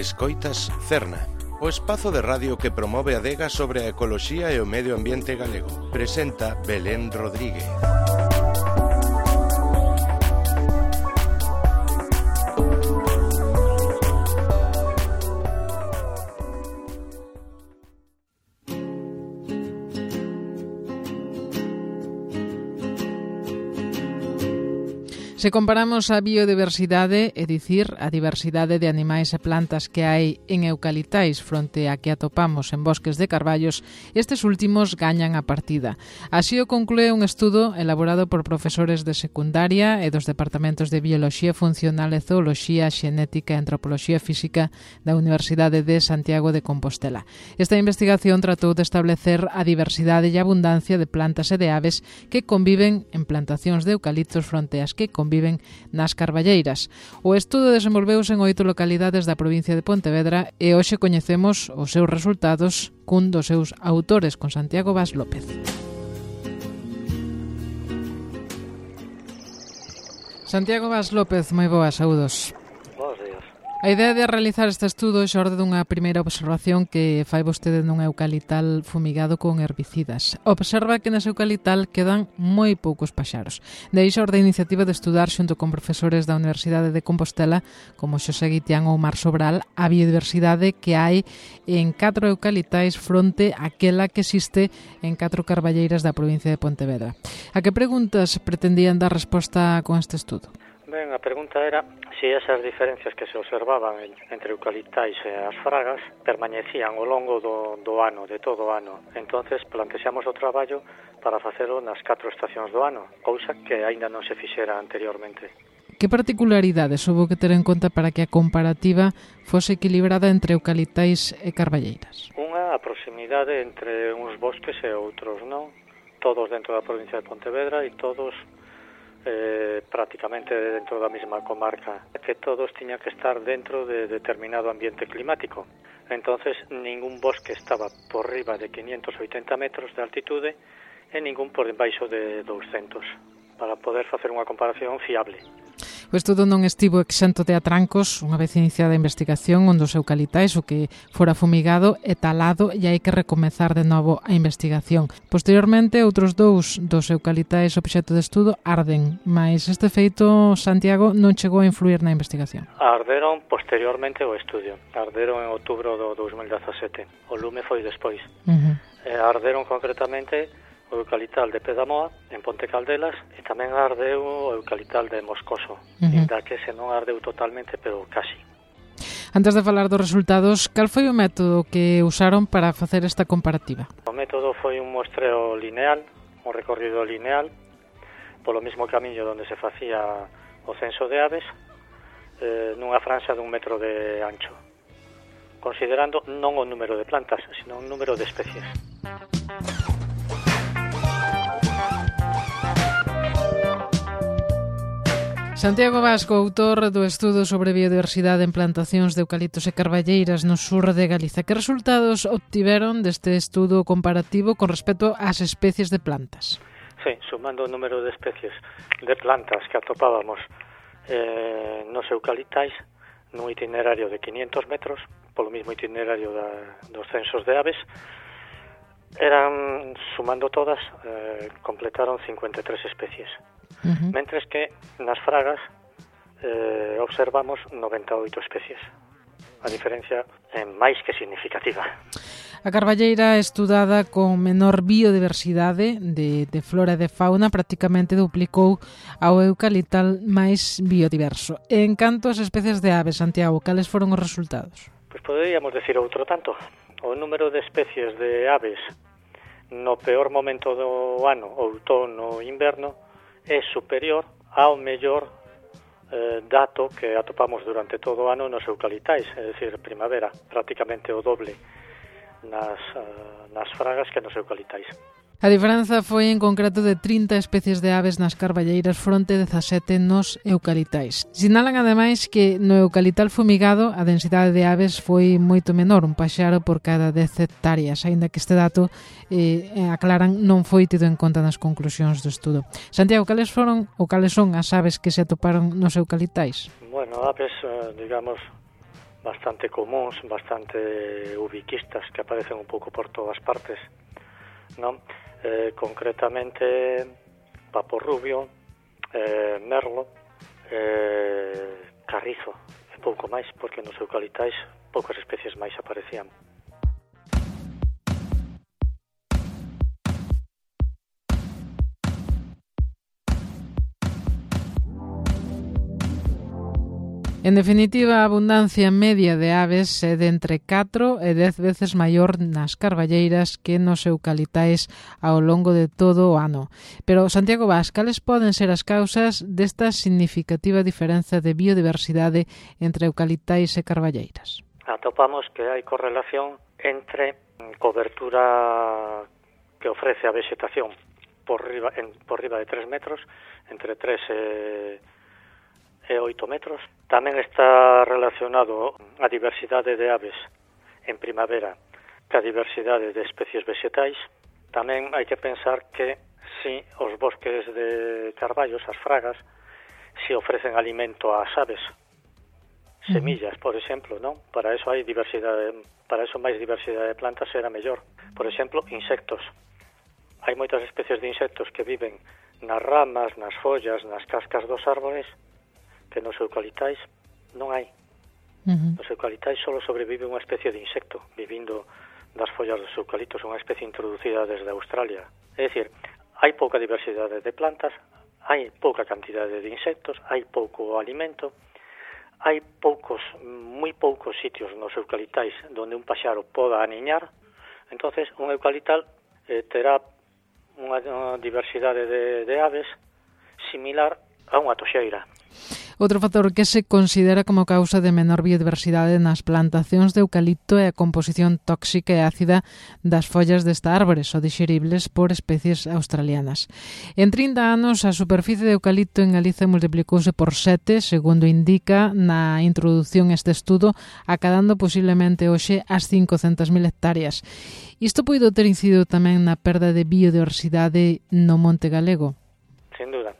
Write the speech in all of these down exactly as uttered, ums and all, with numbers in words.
Escoitas Cerna, o espazo de radio que promove a adega sobre a ecoloxía e o medio ambiente galego. Presenta Belén Rodríguez. Se comparamos a biodiversidade, é dicir, a diversidade de animais e plantas que hai en eucaliptais fronte a que atopamos en bosques de carballos, estes últimos gañan a partida. Así o conclúe un estudo elaborado por profesores de secundaria e dos departamentos de Bioloxía Funcional e Zooloxía, Xenética e Antropoloxía Física da Universidade de Santiago de Compostela. Esta investigación tratou de establecer a diversidade e abundancia de plantas e de aves que conviven en plantacións de eucaliptos fronte ás que conviven viven nas carballeiras. O estudo desenvolveuse en oito localidades da provincia de Pontevedra e hoxe coñecemos os seus resultados cun dos seus autores, con Santiago Vaz López. Santiago Vaz López, moi boas, saúdos. Bos días. A idea de realizar este estudo xorde dunha primeira observación que fai vostede nun eucaliptal fumigado con herbicidas. Observa que nese eucaliptal quedan moi poucos paxaros. De aí xorde a iniciativa de estudar xunto con profesores da Universidade de Compostela, como Xosé Guitián ou Mar Sobral, a biodiversidade que hai en catro eucaliptais fronte àquela que existe en catro carballeiras da provincia de Pontevedra. A que preguntas pretendían dar resposta con este estudo? Ben, a pregunta era se esas diferencias que se observaban entre eucaliptais e as fragas permanecían ao longo do, do ano, de todo o ano. Entonces plantexamos o traballo para facelo nas catro estacións do ano, cousa que aínda non se fixera anteriormente. Que particularidades houve que ter en conta para que a comparativa fose equilibrada entre eucaliptais e carballeiras? Unha, a proximidade entre uns bosques e outros, non? Todos dentro da provincia de Pontevedra e todos Eh, prácticamente dentro da mesma comarca, que todos tiñan que estar dentro de determinado ambiente climático. Entonces, ningún bosque estaba por riba de quinientos oitenta metros de altitude e ningún por debaixo de douscentos, para poder facer unha comparación fiable. O estudo non estivo exento de atrancos unha vez iniciada a investigación onde os eucaliptais o que fora fumigado e talado e hai que recomezar de novo a investigación. Posteriormente, outros dous dos eucaliptais obxecto de estudo arden, mas este feito, Santiago, non chegou a influir na investigación. Arderon posteriormente o estudio. Arderon en outubro do dous mil dezasete. O lume foi despois. Uh-huh. E arderon concretamente o eucaliptal de Pedamoa, en Ponte Caldelas, e tamén ardeu o eucaliptal de Moscoso, uh-huh. Inda que se non ardeu totalmente, pero casi. Antes de falar dos resultados, cal foi o método que usaron para facer esta comparativa? O método foi un muestreo lineal, un recorrido lineal, polo mesmo camiño onde se facía o censo de aves, eh, nunha franxa dun metro de ancho, considerando non o número de plantas, sino o número de especies. Santiago Vasco, autor do estudo sobre biodiversidade en plantacións de eucaliptos e carballeiras no sur de Galiza. Que resultados obtiveron deste estudo comparativo con respecto ás especies de plantas? Sí, sumando o número de especies de plantas que atopábamos eh, nos eucaliptais nun itinerario de quinientos metros, polo mismo itinerario da, dos censos de aves, eran, sumando todas, eh, completaron cincuenta e tres especies. Uh-huh. Mentres que nas fragas eh, observamos noventa e oito especies. A diferencia é máis que significativa. A carballeira estudada con menor biodiversidade de, de flora e de fauna prácticamente duplicou ao eucaliptal máis biodiverso. En canto ás especies de aves, Santiago, cales foron os resultados? Pois poderíamos decir outro tanto. O número de especies de aves no peor momento do ano, outono ou inverno, é superior ao mellor eh, dato que atopamos durante todo o ano nos eucaliptais, é dicir, primavera, prácticamente o doble nas, uh, nas fragas que nos eucaliptais. A diferenza foi en concreto de trinta especies de aves nas carballeiras fronte dezasete nos eucaliptais. Sinalan ademais que no eucaliptal fumigado a densidade de aves foi moito menor, un paxaro por cada dez hectáreas, aínda que este dato, eh, aclaran, non foi tido en conta nas conclusións do estudo. Santiago, cales foron ou cales son as aves que se atoparon nos eucaliptais? Bueno, aves, digamos, bastante comuns, bastante ubiquistas, que aparecen un pouco por todas partes, non? Eh, concretamente papo rubio, eh, merlo, eh, carrizo e pouco máis, porque nos eucaliptais poucas especies máis aparecían. En definitiva, a abundancia media de aves é de entre catro e dez veces maior nas carballeiras que nos eucaliptais ao longo de todo o ano. Pero, Santiago Bas, cales poden ser as causas desta significativa diferenza de biodiversidade entre eucaliptais e carballeiras? Atopamos que hai correlación entre cobertura que ofrece a vegetación por riba, en, por riba de tres metros, entre tres e... e oito metros. Tamén está relacionado a diversidade de aves en primavera ca diversidade de especies vegetais. Tamén hai que pensar que si os bosques de carballos, as fragas, si ofrecen alimento ás aves, semillas, por exemplo, non? Para eso hai diversidade, para eso máis diversidade de plantas será mellor. Por exemplo, insectos. Hai moitas especies de insectos que viven nas ramas, nas follas, nas cascas dos árboles, que nos eucaliptais non hai. Uh-huh. Nos eucaliptais só sobrevive unha especie de insecto, vivindo das follas dos eucaliptos, unha especie introducida desde Australia. É dicir, hai pouca diversidade de plantas, hai pouca cantidade de insectos, hai pouco alimento, hai poucos, moi poucos sitios nos eucaliptais onde un paxaro poda aniñar. Entonces, un eucaliptal eh, terá unha, unha diversidade de, de aves similar a unha toxeira. Outro factor que se considera como causa de menor biodiversidade nas plantacións de eucalipto é a composición tóxica e ácida das follas desta árbore, só dixeribles por especies australianas. En trinta anos, a superficie de eucalipto en Galiza multiplicouse por sete, segundo indica na introdución a este estudo, acadando posiblemente hoxe as cincocentas mil hectáreas. Isto poido ter incidido tamén na perda de biodiversidade no monte galego? Sin duda.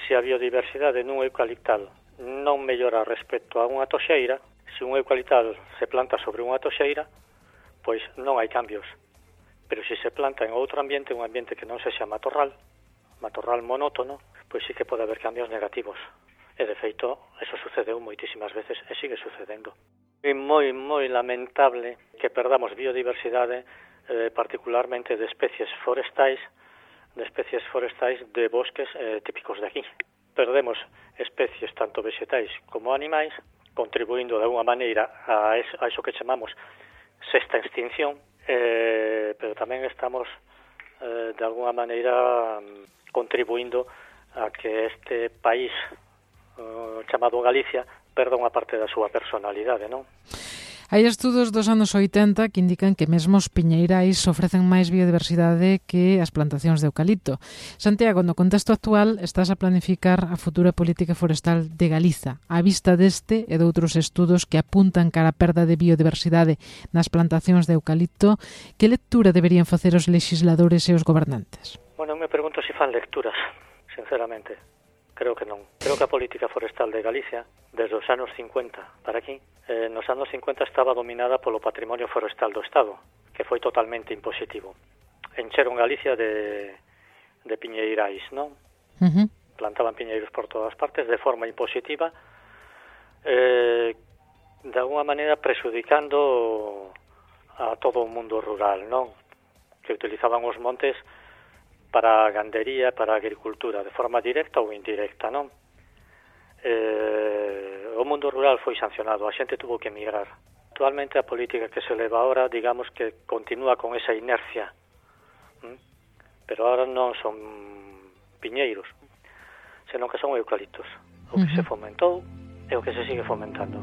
Se a biodiversidade nun eucaliptal non mellora respecto a unha toxeira, se un eucaliptal se planta sobre unha toxeira, pois non hai cambios. Pero se se planta en outro ambiente, un ambiente que non sexa matorral, matorral monótono, pois sí que pode haber cambios negativos. E, de feito, eso sucedeu moitísimas veces e sigue sucedendo. É moi, moi lamentable que perdamos biodiversidade, eh, particularmente de especies forestais, de especies forestais de bosques eh, típicos de aquí. Perdemos especies tanto vegetais como animais, contribuindo de alguma maneira a eso, a eso que chamamos sexta extinción, eh, pero tamén estamos eh, de alguma maneira contribuindo a que este país eh, chamado Galicia perda unha parte da súa personalidade, non? Hai estudos dos anos oitenta que indican que mesmo os piñeirais ofrecen máis biodiversidade que as plantacións de eucalipto. Santiago, no contexto actual, estás a planificar a futura política forestal de Galiza, á vista deste e de outros estudos que apuntan cara a perda de biodiversidade nas plantacións de eucalipto. Que lectura deberían facer os legisladores e os gobernantes? Bueno, me pregunto se fan lecturas, sinceramente. Creo que non. Creo que a política forestal de Galicia, desde os anos cincuenta para aquí, eh, nos anos cincuenta estaba dominada polo patrimonio forestal do Estado, que foi totalmente impositivo. Encheron Galicia de, de piñeirais, non? Uh-huh. Plantaban piñeiros por todas partes de forma impositiva, eh, de alguna maneira prexudicando a todo o mundo rural, non? Que utilizaban os montes para a gandería, para a agricultura, de forma directa ou indirecta, non? Eh, o mundo rural foi sancionado, a xente tuvo que emigrar. Actualmente a política que se leva ahora, digamos que continúa con esa inercia, ¿Mm? Pero ahora non son piñeiros, senón que son eucaliptos. O que uh-huh. se fomentou e o que se sigue fomentando.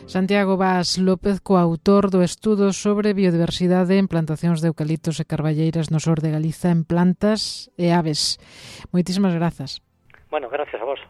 Santiago Bas López, coautor do estudo sobre biodiversidade en plantacións de eucaliptos e carballeiras no sur de Galiza en plantas e aves. Moitísimas grazas. Bueno, gracias a vos.